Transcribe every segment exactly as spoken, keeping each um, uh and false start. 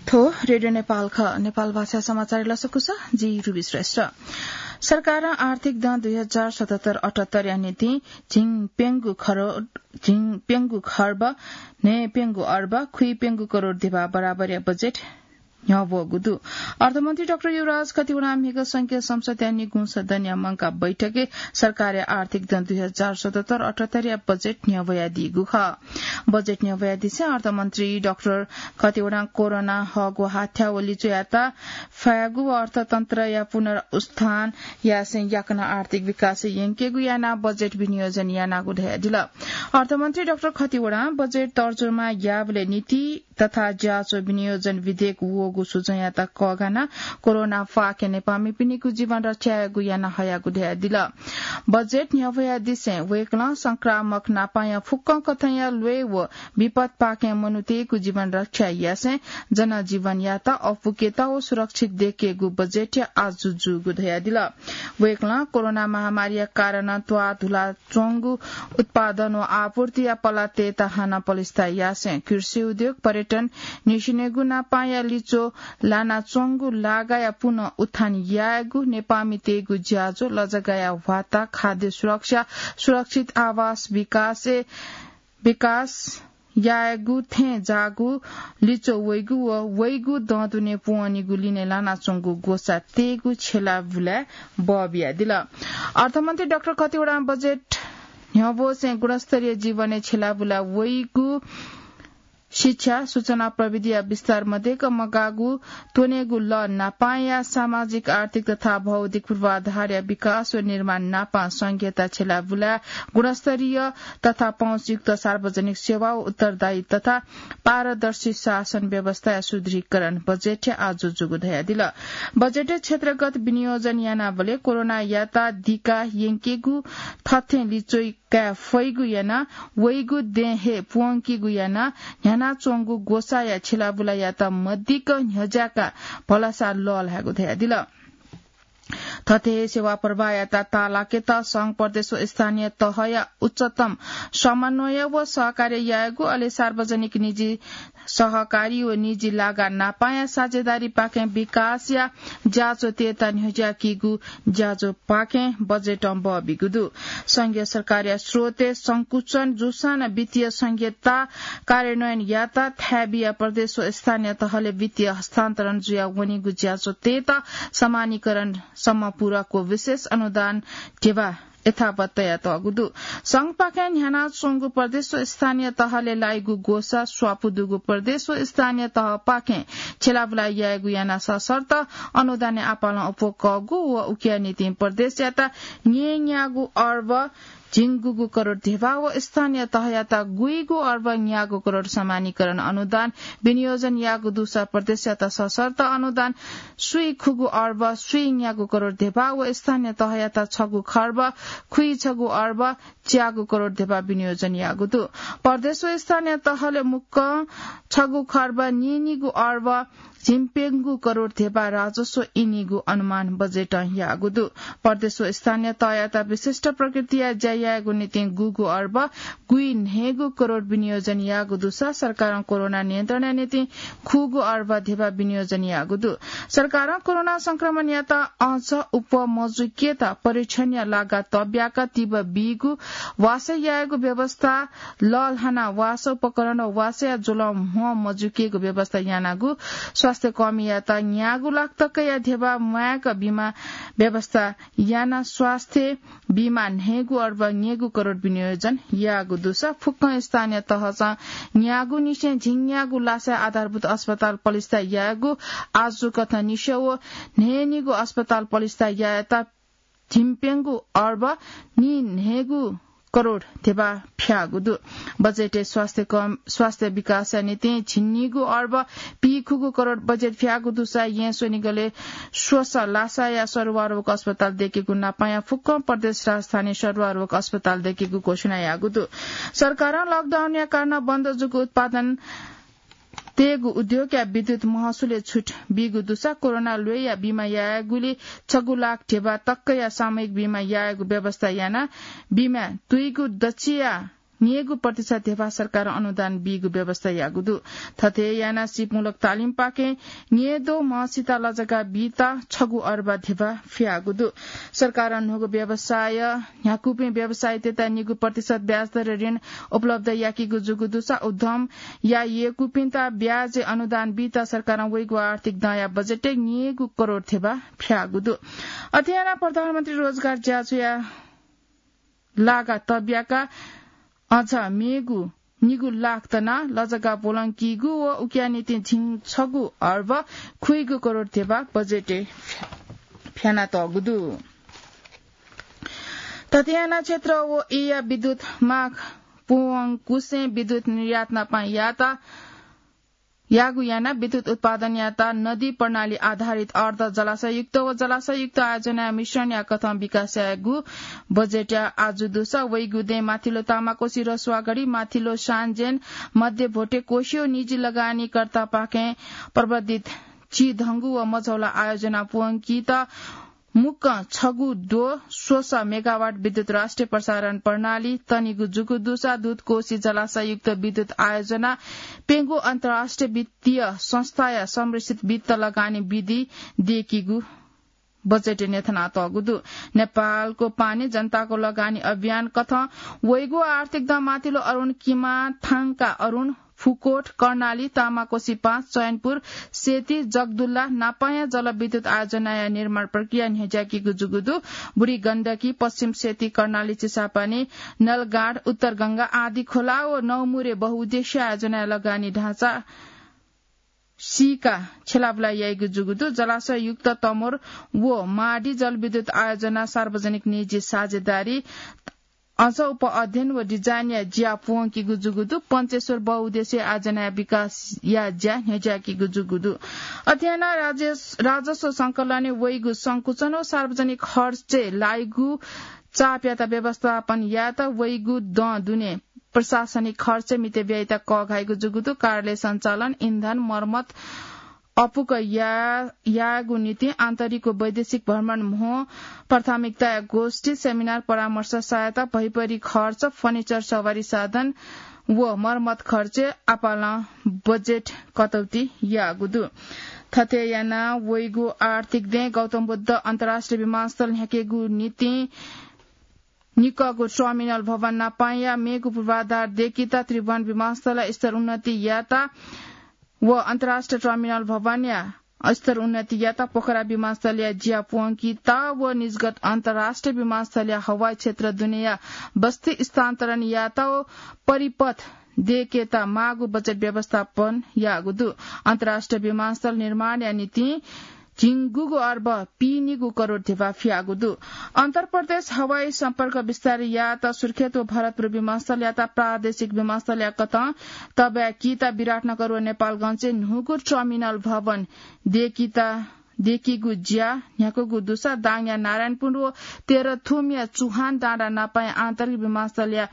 थ्व रेडियो नेपाल खः। नेपाल भाषा समाचार लसकुस, जि रुबी श्रेष्ठ। सरकारं आर्थिक दँ दुई हजार सतहत्तर अठहत्तर या निंतिं झिंप्यंगू खरो-, झिंप्यंगू खर्ब, न्हय्प्यंगू अर्ब, खुइप्यंगू करोड धिबा बराबरया बजेट न्ह्यवःगु दु। अर्थमन्त्री डाक्टर युवराज खतिवडां म्हिगः संघीय संसदया निगू सदनया मंकाः बैठकय् सरकारया आर्थिक दँ दुई हजार सतहत्तर अठहत्तर या बजेट न्ह्यवयादीगु खः। बजेट न्ह्यवयादिसें अर्थमन्त्री डाक्टर खतिवडां कोरोना हःगु हाथ्या व लिच्वयात फयागु व अर्थतन्त्रया पुनरुत्थान यासें याकनं आर्थिक विकास यंकेगु यानाः बजेट विनियोजन यानागु धयादिल। अर्थमन्त्री डाक्टर खतिवडां बजेट तर्जुमा याःबलय् नीति तथा ज्याझ्वः विनियोजन विधेयक वःगु सुझ्वँयात कःघानाः कोरोना फाके नेपाःमिपिनिगु जीवन रक्षा यायेगु याना हयागु धयादिल। बजेट न्ह्यवयादिसें वय्कलं संक्रामक नापांया फुक्कं कथंया ल्वय् व विपतपाखें मनूतय्गु जीवन रक्षा यासें जनजीवनयात अःपुकेत व सुरक्षित दयेकेगु बजेटया आजु जूगु धयादिल। वय्कलं कोरोना महामारीया कारणं त्वाःधुला च्वंगु उत्पादन व आपूर्तिया पलातय्त हानं पलिस्था यासें कृषि उद्योग, पर्यटन, निसेंनिगू नापांया लिच्वः लानाच्वंगु लागाया पुनः उत्थान यायेगु, नेपाःमितय्गु ज्याझ्वः, लजगाःया ह्वाता, खाद्य सुरक्षा, सुरक्षित आवास विकासय् विकास यायेगु, थें जाःगु लिच्वः वइगु व वइगु दँ दुने पूवनीगु लिने लानाच्वंगु ग्वसाः तयेगु छ्यलाबुलाय् बः बियादिल। अर्थमन्त्री डाक्टर खतिवडां बजेट न्ह्यवःसें गुणस्तरीय जीवनय् छ्यलाबुला वइगु, शिक्षा, सूचना प्रविधिया विस्तार मदय्क मगाःगु, त्वनेगु लः नापांया सामाजिक, आर्थिक तथा भौतिक पूर्वाधारया विकास व निर्माण नापां संघीयता छ्यलाबुलाय् गुणस्तरीय तथा पहुँचयुक्त सार्वजनिक सेवा व उत्तरदायी तथा पारदर्शी शासन व्यवस्थाया सुदृढीकरण बजेटय् आजु जूगु धयादिल। बजेटय् क्षेत्रगत विनियोजन यानाबलय् कोरोनायात दिका यंकेगु, थथें लिच्वः काये फइगु यानाः वइगु दँय् हे पूवंकीगु यानाः न्ह्यानाच्वंगु ग्वसाःया छ्यलाबुलायात मदिक्क न्ह्यज्याकाः भलसा लःल्हायेगु धयादिल। थथे हे सेवा प्रवाहयात ताःलाकेत संघ, प्रदेश व स्थानीय तहया उच्चतम समन्वय व सहकार्य यायेगु, अले सार्वजनिक निजी सहकारी व निजी लागा नापांया साझेदारीपाखें विकासया ज्याझ्वःतय्त न्ह्यज्याकीगु ज्याझ्वःपाखें बजेटं बः बीगु दु। संघीय सरकारया स्रोतय् संकुचन जूसां नं वित्तीय संघीयता कार्यान्वयन यात थाय् बियाः प्रदेश व स्थानीय तहलय् वित्तीय हस्तान्तरण जुया वनीगु ज्याझ्वःतय्त समानीकरण सम्म पूरक व विशेष अनुदान ध्यबा यथावत तयातःगु दु। संघपाखें न्ह्यानाच्वंगु प्रदेश व स्थानीय तहलय् लाइगु ग्वसाः स्वापू दुगु प्रदेश व स्थानीय तहपाखें छ्यलाबुला यायेगु यानाः सशर्त अनुदानय् आपालं अप्वः कःगु व उकिया निंतिं प्रदेशयात न्यय्न्यागू अर्ब झिंगुगू करोड ध्यबा व स्थानीय तहयात गुइगू अर्ब न्यागू करोड समानीकरण अनुदान विनियोजन याःगु दुसा प्रदेशयात सशर्त अनुदान स्वीखुगू अर्ब स्वीन्यागू करोड ध्यबा व स्थानीय तहयात छगू खर्ब खुइछगू अर्ब च्यागू करोड ध्यबा विनियोजन याःगु दु। प्रदेश व स्थानीय तहलय् मुक्कं छगू खर्ब नीनिगू अर्ब झिंप्यंगू करोड ध्यबा राजस्व इनीगु अनुमान बजेटं याःगु दु। प्रदेश व स्थानीय तहयात विशिष्ट प्रकृतिया ज्या यायेगु निंतिं गुगू अर्ब गुइन्हय्गू करोड विनियोजन याःगु दुसा सरकारं कोरोना नियन्त्रणया निंतिं खुगू अर्ब ध्यबा विनियोजन याःगु दु। सरकारं कोरोना संक्रमणयात अझ अप्वः मजुइकेत परीक्षणया लागा तब्याक तिबः बीगु, वासः यायेगु व्यवस्था लःल्हानाः वासः उपकरण व वासःया ज्वलं म्ह मजुइकेगु व्यवस्था यानागु, स्वास्थ्यकर्मीयात न्यागू लाख तकया ध्यबा म्वायेक बिमा व्यवस्था यानाः स्वास्थ्य बिमा न्हय्गू अर्ब न्यय्गू करोड विनियोजन याःगु दुसा फुक्कं स्थानीय तहसं न्यागूनिसें झिंन्यागू लासाय् आधारभूत अस्पताल पलिस्था यायेगु, आजुकथं निस्वः व न्हय्निगू अस्पताल पलिस्था यायेत झिंप्यंगू अर्ब नीन्हय्गू करोड ध्यबा फ्याःगु दु। बजेटय् स्वास्थ्य कम, स्वास्थ्य विकासया निंतिं झिंनिगू अर्ब पीखुगू करोड बजेट फ्याःगु दुसा येँ स्वनिगलय् स्वसा लासाया सरुवा रोग अस्पताल दयेकेगु नापांया फुक्कं प्रदेश राजधानी सरुवा रोग अस्पताल दयेकेगु घोषणा याःगु दु। सरकारं लकडाउनया कारणं बन्द जूगु उत्पादन तयेगु उद्योगया विद्युत महसुलय् छुट बीगु दुसा कोरोना ल्वय्या बिमा यायेगुली छगू लाख ध्यबा तकया सामूहिक बिमा यायेगु व्यवस्था यानाः बिमा तुइगु दच्छिया न्येगु प्रतिशत ध्यबा सरकारं अनुदान बीगु व्यवस्था याःगु दु। थथे यानाः सिपमूलक तालिमपाखें न्येद्वः म्हसित लजगाः बीत छगू अर्बा ध्यबा फियाःगु दु। सरकारं न्हूगु व्यवसाय न्ह्याकूपिं व्यवसायीतय्त निगू प्रतिशत ब्याज दरय् ऋण उपलब्ध याकीगु जूगु दुसा उद्यम यायेकूपिन्त ब्याजय् अनुदान बीत सरकारं वइगु आर्थिक दँया बजेटय् न्येगू करोड ध्यबा फियाःगु दु। अथे यानाः प्रधानमन्त्री रोजगार ज्याझ्वःया लागा तब्याका अझ मेगु निगू लाख तना लजगाः ब्वलंकीगु व उकिया निंतिं झिंछगू अर्ब खुइगू करोड ध्यबा बजेटय् फ्या-, फ्यानातःगु दु। थथे यानाः क्षेत्र व येँया विद्युत माग पूवंकुसें विद्युत निर्यात नापं यात याःगु यानाः विद्युत उत्पादन यात नदी प्रणाली आधारित अर्ध जलाशययुक्त व जलाशययुक्त आयोजनाया मिश्रणया कथं विकास यायेगु बजेटया आजु दुसा वइगु दँय् माथिल्लो तामाकोसी रसुवागढी, माथिल्लो सान्जेन, मध्य भोटे कोशी व निजी लगानीकर्तापाखें प्रवर्धित चिधंगु व मझौला आयोजना पूवंकीत मुक्कं छगू द्वः स्वसः मेगावाट विद्युत राष्ट्रिय प्रसारण प्रणाली तनिगु जूगु दुसा दूतकोशी जलाशययुक्त विद्युत आयोजना प्यंगू अन्तर्राष्ट्रिय वित्तीय संस्थाया संरक्षित वित्त लगानी विधि दयेकीगु बजेटय् न्ह्यथनातःगु दु। नेपालको पानी जनताको लगानी अभियान कथं वइगु आर्थिक दँ माथिल्लो अरुण किमा, थांका अरुण, फुकोट, कर्णाली, तामाकोसी पाँच, चयनपुर, सेती, जगदुल्ला नापाया जलविद्युत आयोजनाया निर्माण प्रक्रिया न्ह्यज्याकीगु जूगु दु। बुढी गण्डकी, पश्चिम सेती, कर्णाली, चिसापानी, नलगाड, उत्तर गंगा, आँधीखोला व नौमुरे बहुउद्देश्य आयोजनाया लगानी ढाँचा सीका छेलाबुला याइगु जूगु दु। जलाशययुक्त तमोर व माडी जलविद्युत आयोजना सार्वजनिक निजी साझेदारी अझ उप अध्ययन व डिजाइनया ज्या पूवंकीगु जूगु दु। पञ्चेश्वर बहुउद्देश्य आयोजनाया विकासया ज्या न्ह्यज्याकीगु जूगु दु। अथे यानाः राजस-, राजस्व संकलनय् वइगु संकुचन व सार्वजनिक खर्चय् लाइगु चापयात व्यवस्थापन यायेत वइगु दँ दुने प्रशासनिक खर्च मिते व्ययता कःघाइगु जूगु दु। कार्यालय सञ्चालन, इन्धन, मर्मत, अपुक या-, यायेगु निंतिं आन्तरिक व वैदेशिक भ्रमण म्हो, प्राथमिकताया गोष्ठी, सेमिनार, परामर्श सहायता, भैपरि खर्च, फर्निचर, सवारी साधन व मर्मत खर्च आपालं बजेट कटौती याःगु दु। थथे यानाः वइगु आर्थिक दँय् गौतम बुद्ध अन्तर्राष्ट्रिय विमानस्थल न्ह्याकेगु निंतिं निकःगु टर्मिनल भवन नापाया मेगु पूर्वाधार दयेकीत त्रिभुवन विमानस्थलया स्तर उन्नति यात व अन्तर्राष्ट्रिय टर्मिनल भवनया स्तर उन्नति यात पोखरा विमानस्थलया ज्या पूवंकीत व निजगत अन्तर्राष्ट्रिय विमानस्थलया हवाई क्षेत्र दुनेया बस्ती स्थानान्तरण यात व परिपथ दयेकेत माःगु बजेट व्यवस्थापन याःगु दु। अन्तर्राष्ट्रिय विमानस्थल निर्माणया निंतिं झिंगुगु अर्ब पीनिगु करोड ध्यबा फियाःगु दु। अन्तर्प्रदेश हवाई सम्पर्क विस्तार यात सुर्खेत व भरतपुर विमानस्थलयात प्रादेशिक विमानस्थलया कथं तब्याकीत विराटनगर व नेपालगञ्जय् न्हूगु टर्मिनल भवन दयेकीत दयेकीगु ज्या न्ह्याकूगु दुसा दाङया नारायणपुर व तेह्रथुमया चुहान डाँडा नापाया आन्तरिक विमानस्थलया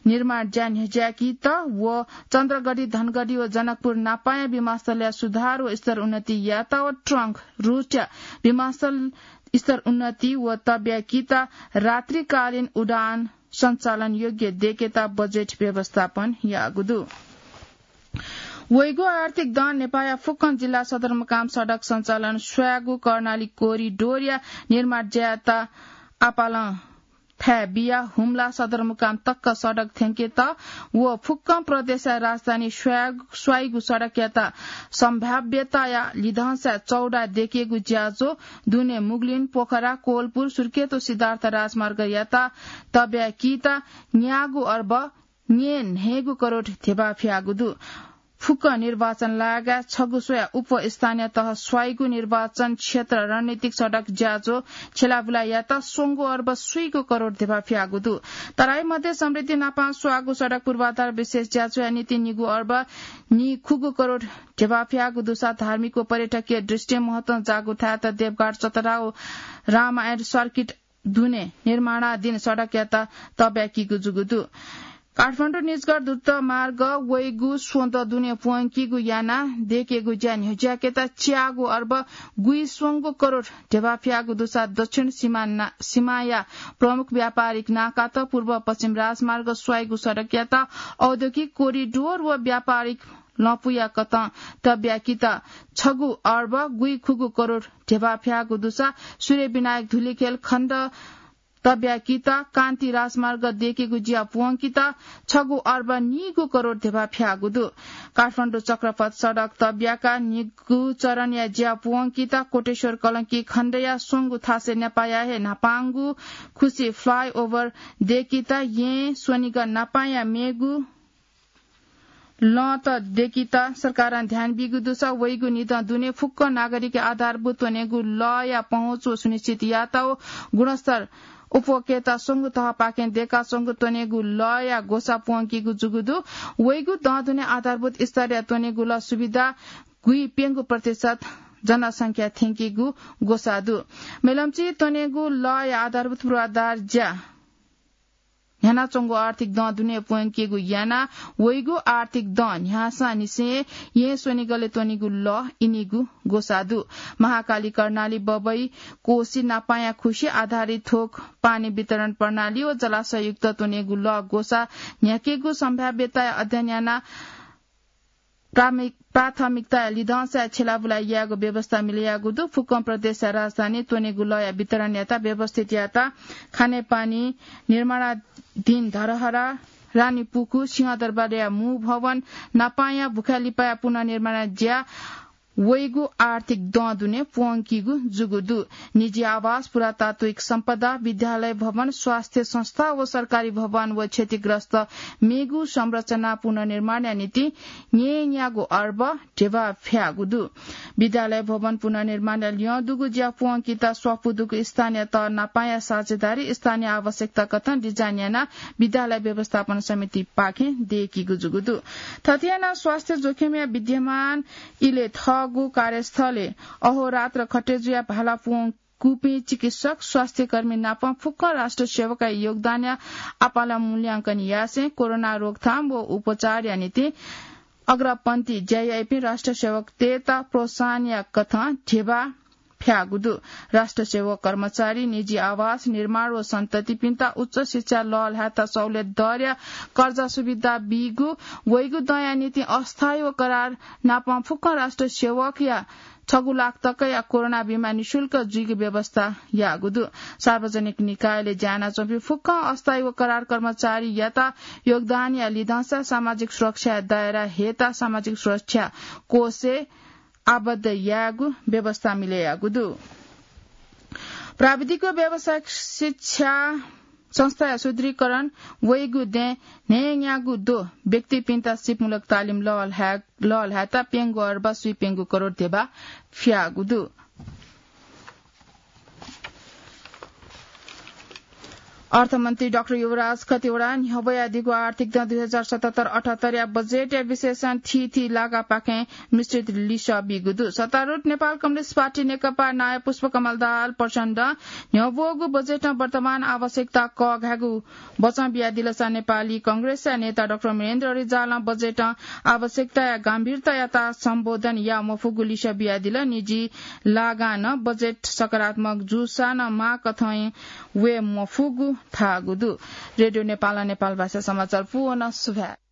निर्माण ज्या न्ह्यज्याकीत व चन्द्रगढी, धनगढी व जनकपुर नापाया विमानस्थलया सुधार व स्तर उन्नति यात व ट्रङ्क रूटया विमानस्थल स्तर उन्नति व तब्याकीत रात्रिकालीन उडान सञ्चालन योग्य दयेकेत बजेट व्यवस्थापन याःगु दु। वइगु आर्थिक दँ नेपाःया फुक्कं जिल्ला सदरमुकाम सडक सञ्चालन स्वयागु कर्णाली कोरिडोरया निर्माण ज्यायात आपालं थाय् बिया हुम्ला सदरमुकाम तक सडक थ्यंकेत व फुक्कं प्रदेशया राजधानी स्वया-, स्वाइगु सडकयात सम्भाव्यताया लिधंसा चौडा दयेकेगु ज्याझ्वः दुने मुगलिन, पोखरा, कोलपुर, सुर्खेत व सिद्धार्थ राजमार्गयात तब्याकीत न्यागू अर्ब न्येन्हय्गू करोड ध्यबा फियाःगु दु। फुक्क निर्वाचन लागाय् छगू स्वया उपस्थानीय तह स्वाइगु निर्वाचन क्षेत्र रणनीतिक सडक ज्याझ्वः छेलाबुला यात स्वंगू अर्ब स्वीगू करोड ध्यबा फियाःगु दु। तराई मध्य समृद्धि नापां स्वाःगु सडक पूर्वाधार विशेष ज्याझ्वःया निंतिं निगू अर्ब निखुगू करोड ध्यबा फियाःगु दुसा धार्मिक व पर्यटकीय दृष्टिं महत्वं जाःगु थाय्त देवघाट चतरा व रामायण सर्किट दुने निर्माणाधीन सडकयात तब्याकीगु जूगु दु। काठमाडौं निजगढ द्रुत मार्ग वइगु स्वदँ दुने प्वंकीगु याना देकेगु ज्या न्ह्यज्याकेत च्यागू अर्ब गुइस्वंगू करोड ध्यबा फ्याःगु दुसा दक्षिण सीमा ना-, सीमाया प्रमुख व्यापारिक नाकात पूर्व पश्चिम राजमार्ग स्वाइगु सडकयात औद्योगिक कोरिडोर व व्यापारिक लँपुया कथं तब्याकीत छगू अर्ब गुइखुगू करोड ध्यबा फ्याःगु दुसा सूर्यविनायक धुलिखेल खण्ड तब्याकीत कान्ति राजमार्ग देकेगु ज्या प्वंकीत छगू अर्ब नीगू करोड ध्यबा फ्याःगु दु। काठमाडौं चक्रपथ सडक तब्याका नीगू चरणया ज्या प्वंकीत कोटेश्वर कलंकी खण्डया स्वंगू थासय् नेपाःया हे न्हापांगु खुसी flyover देकीत यें स्वनिगः नापांया मेगु लँत देकीत सरकारं ध्यान बीगु दुसा वइगु निदँ दुने फुक्क नागरिक आधारभूत त्वनेगु लःया पहुँच व सुनिश्चित यात व गुणस्तर उपभोक्ता स्वंगू तहपाखें देका स्वंगू त्वनेगु लःया ग्वसाः प्वंकीगु जूगु दु। वइगु दँ दुने आधारभूत स्तरया त्वनेगु लः सुविधा गुइप्यंगू प्रतिशत जनसंख्या थ्यंकीगु ग्वसाः दु। मेलम्ची त्वनेगु लःया आधारभूत पूर्वाधार ज्या न्ह्यानाच्वंगु आर्थिक दँ दुने प्वंकीगु याना वइगु आर्थिक दँ न्ह्यासांनिसें यें स्वनिगलय् त्वनीगु लः इनीगु ग्वसाः दु। महाकाली कर्णाली बबई कोशी नापांया खुसी आधारित थोक पानी वितरण प्रणाली व जलाशययुक्त त्वनीगु लः ग्वसाः न्ह्याकेगु सम्भाव्यताया अध्ययन याना प्रामिक-, प्राथमिकताया लिधंसाय् छेलाबुला यायेगु व्यवस्था मिलयागु दु। फुक्कं प्रदेशया राजधानी त्वनीगु लःया वितरणयात व्यवस्थित यायेत खानेपानी, निर्माणाधीन धरहरा, रानीपुखु, सिंहदरबारया मू भवन, नापांया भुखालिपाया पुनर्निर्माणया ज्या वइगु आर्थिक दँ दुने प्वंकीगु जूगु दु। निजी आवास, पुरातात्विक सम्पदा, विद्यालय भवन, स्वास्थ्य संस्था व सरकारी भवन व क्षतिग्रस्त मेगु संरचना पुनर्निर्माणया निंतिं न्यय्‌न्यागू अर्ब ध्यबा फ्याःगु दु। विद्यालय भवन पुनर्निर्माणया ल्यं दुगु ज्या प्वंकीत स्वापू दुगु स्थानीय तह नापांया साझेदारी स्थानीय आवश्यकता कथं डिजाइन यानाः विद्यालय व्यवस्थापन समितिपाखें देकीगु जूगु दु। थथे यानाः स्वास्थ्य जोखिमया विद्यमान इलय् थःगु कार्यस्थलय् अहोरात्र खटे जुयाः भाला प्वंकूपिं चिकित्सक, स्वास्थ्यकर्मी नाप फुक्क राष्ट्र सेवकया योगदानया आपालं मूल्यांकन यासें कोरोना रोकथाम व उपचारया निंतिं अग्रपंक्ति ज्या याइपिं राष्ट्र सेवकतय्‌त प्रोत्साहनया कथं ध्यबा फ्याःगु दु। राष्ट्र सेवक कर्मचारी, निजी आवास निर्माण व सन्ततिपिन्त उच्च शिक्षा लःल्हायेत सहुलियत दरया कर्जा सुविधा बीगु, वइगु दँया निंतिं अस्थायी व करार नापं फुक्कं राष्ट्र सेवकया छगू लाख तकया कोरोना बिमा निशुल्क जुइगु व्यवस्था याःगु दु। सार्वजनिक निकायले ज्या यानाच्वंपिं फुक्कं अस्थायी व करार कर्मचारीयात योगदानया लिधंसा सामाजिक सुरक्षाया दायरा हयेत सामाजिक सुरक्षा कोषय् आबद्ध यायेगु व्यवस्था मिलय् याःगु दु। प्राविधिक व व्यावसायिक शिक्षा संस्थाया सुदृढीकरण, वइगु दँय् न्हय्‌न्यागू द्वः व्यक्तिपिन्त सिपमूलक तालिम लःल्हाये-, लःल्हायेत प्यंगू अर्ब स्वीप्यंगू करोड ध्यबा फ्याःगु दु। अर्थमन्त्री डाक्टर युवराज खतिवडां न्ह्यब्वयादीगु आर्थिक दँ दुई हजार सतहत्तर अठहत्तरया बजेटया विश्लेषण थीथी लागापाखें मिश्रित लिसः बीगु दु। सत्तारूढ नेपाल कम्युनिस्ट पार्टी नेकपा नायः पुष्पकमल दाहाल प्रचण्डं न्ह्यब्वःगु बजेटं वर्तमान आवश्यकता कःघायेगु बचं बियादिलसा नेपाली कांग्रेसया नेता डाक्टर वीरेन्द्र रिजालं बजेटं आवश्यकताया गम्भीरतायात सम्बोधन याये मफुगु लिसः बियादिल। निजी लागां नं बजेट सकारात्मक जूसां नं माःकथं वये मफुगु धाःगु दु। रेडियो नेपालं नेपाल भाषा समाचार पूवं सुभाय्।